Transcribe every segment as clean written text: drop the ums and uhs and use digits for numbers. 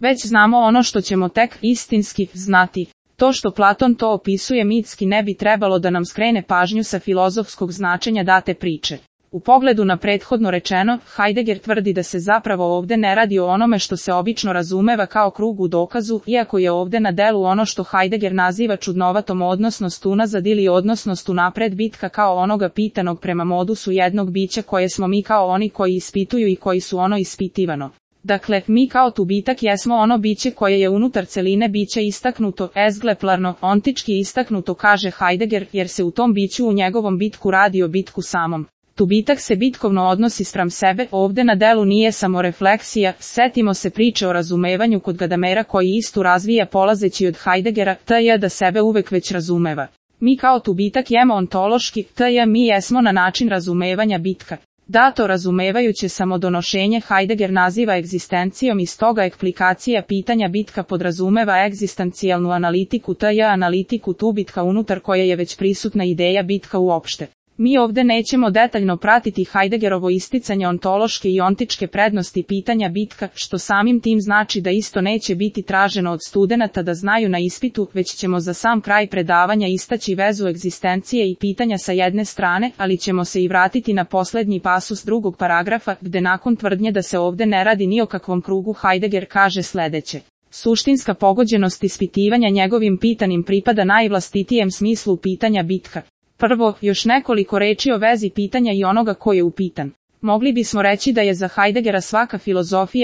Već znamo ono što ćemo tek istinski znati. To što Platon to opisuje mitski ne bi trebalo da nam skrene pažnju sa filozofskog značenja date priče. U pogledu na prethodno rečeno, Heidegger tvrdi da se zapravo ovde ne radi o onome što se obično razumeva kao krug u dokazu, iako je ovde na delu ono što Heidegger naziva čudnovatom odnosnost unazad ili odnosnost unapred bitka kao onoga pitanog prema modusu jednog bića koje smo mi kao oni koji ispituju i koji su ono ispitivano. Dakle, mi kao tu bitak jesmo ono biće koje je unutar celine bića istaknuto, ezgleplarno, ontički istaknuto, kaže Heidegger, jer se u tom biću u njegovom bitku radi o bitku samom. Tu bitak se bitkovno odnosi spram sebe, ovde na delu nije samo refleksija, setimo se priče o razumevanju kod Gadamera koji istu razvija polazeći od Heideggera, t.j. da sebe uvek već razumeva. Mi kao tu bitak jemo ontološki, t.j. mi jesmo na način razumevanja bitka. Dato razumevajuće samodonošenje Heidegger naziva egzistencijom i stoga eksplikacija pitanja bitka podrazumeva egzistencijalnu analitiku, t.j. analitiku tu bitka unutar koje je već prisutna ideja bitka uopšte. Mi ovde nećemo detaljno pratiti Heideggerovo isticanje ontološke i ontičke prednosti pitanja bitka, što samim tim znači da isto neće biti traženo od studenata da znaju na ispitu, već ćemo za sam kraj predavanja istaći vezu egzistencije i pitanja sa jedne strane, ali ćemo se i vratiti na poslednji pasus drugog paragrafa, gde nakon tvrdnje da se ovde ne radi ni o kakvom krugu Heidegger kaže sledeće. Suštinska pogođenost ispitivanja njegovim pitanim pripada najvlastitijem smislu pitanja bitka. Prvo, još nekoliko reči o vezi pitanja i onoga ko je upitan. Mogli bismo reći da je za Heideggera svaka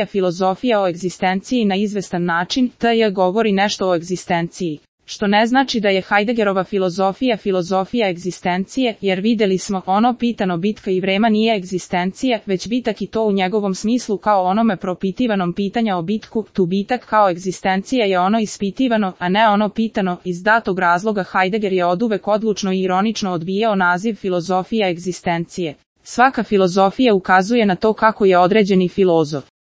filozofija o egzistenciji na izvestan način, t.j. govori nešto o egzistenciji. Što ne znači da je Heideggerova filozofija egzistencije, jer videli smo, ono pitano bitka i vrema nije egzistencija, već bitak i to u njegovom smislu kao onome propitivanom pitanja o bitku, tu bitak kao egzistencija je ono ispitivano, a ne ono pitano, iz datog razloga Heidegger je oduvek odlučno i ironično odbijao naziv filozofija egzistencije. Svaka filozofija ukazuje na to kako je određeni filozof